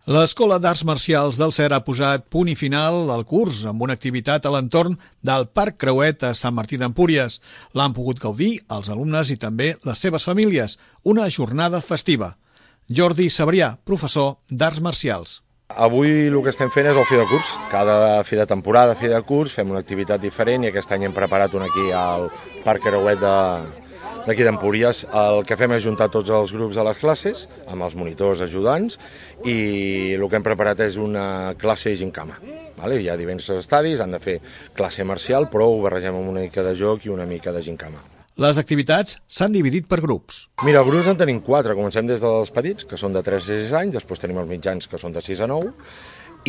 L'Escola d'Arts Marcials del CER ha posat punt i final al curs amb una activitat a l'entorn del Parc Creuet a Sant Martí d'Empúries. L'han pogut gaudir els alumnes i també les seves famílies, una jornada festiva. Jordi Sabrià, professor d'Arts Marcials. Avui el que estem fent és el fi de curs. Cada fi de temporada, fi de curs, fem una activitat diferent i aquest any hem preparat una aquí al Parc Creuet d'aquí d'Empúries. El que fem és juntar tots els grups de les classes amb els monitors ajudants i el que hem preparat és una classe de gincama. Hi ha diversos estadis, han de fer classe marcial, però ho barregem amb una mica de joc i una mica de gincama. Les activitats s'han dividit per grups. Mira, els grups en tenim 4. Comencem des dels petits, que són de 3 a 6 anys, després tenim els mitjans, que són de 6 a 9,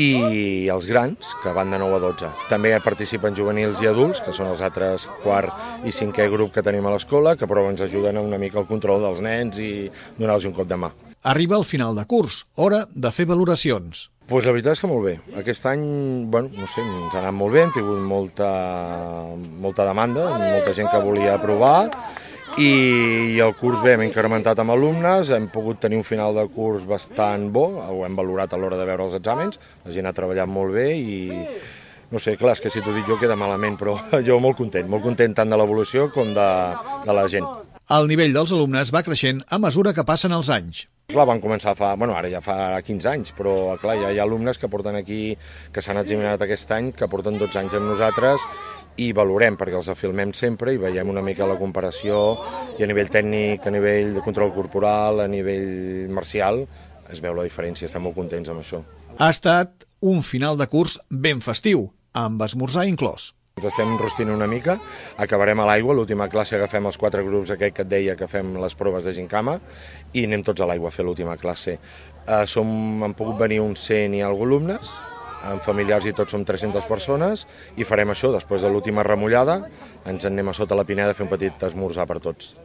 i els grans, que van de 9 a 12. També participen juvenils i adults, que són els altres quart i cinquè grup que tenim a l'escola, que però ens ajuden una mica al control dels nens i donar-los un cop de mà. Arriba el final de curs, hora de fer valoracions. Pues la veritat és que molt bé. Aquest any, no sé, ens ha anat molt bé, hem tingut molta demanda, molta gent que volia provar, i el curs bé, hem incrementat amb alumnes, hem pogut tenir un final de curs bastant bo, ho hem valorat a l'hora de veure els exàmens, la gent ha treballat molt bé i no sé, clar, és que si t'ho dic jo queda malament, però jo molt content tant de l'evolució com de la gent. El nivell dels alumnes va creixent a mesura que passen els anys. Clar, van començar ara ja fa 15 anys, però clar, hi ha alumnes que porten aquí, que s'han examinat aquest any, que porten 12 anys amb nosaltres i valorem, perquè els filmem sempre i veiem una mica la comparació i a nivell tècnic, a nivell de control corporal, a nivell marcial, es veu la diferència, estem molt contents amb això. Ha estat un final de curs ben festiu, amb esmorzar inclòs. Ens estem enrostint una mica, acabarem a l'aigua, l'última classe agafem els 4 grups que et deia que fem les proves de gincama i anem tots a l'aigua a fer l'última classe. Han pogut venir uns 100 i alguns alumnes, amb familiars i tots som 300 persones i farem això, després de l'última remullada, ens anem a sota la Pineda a fer un petit esmorzar per tots.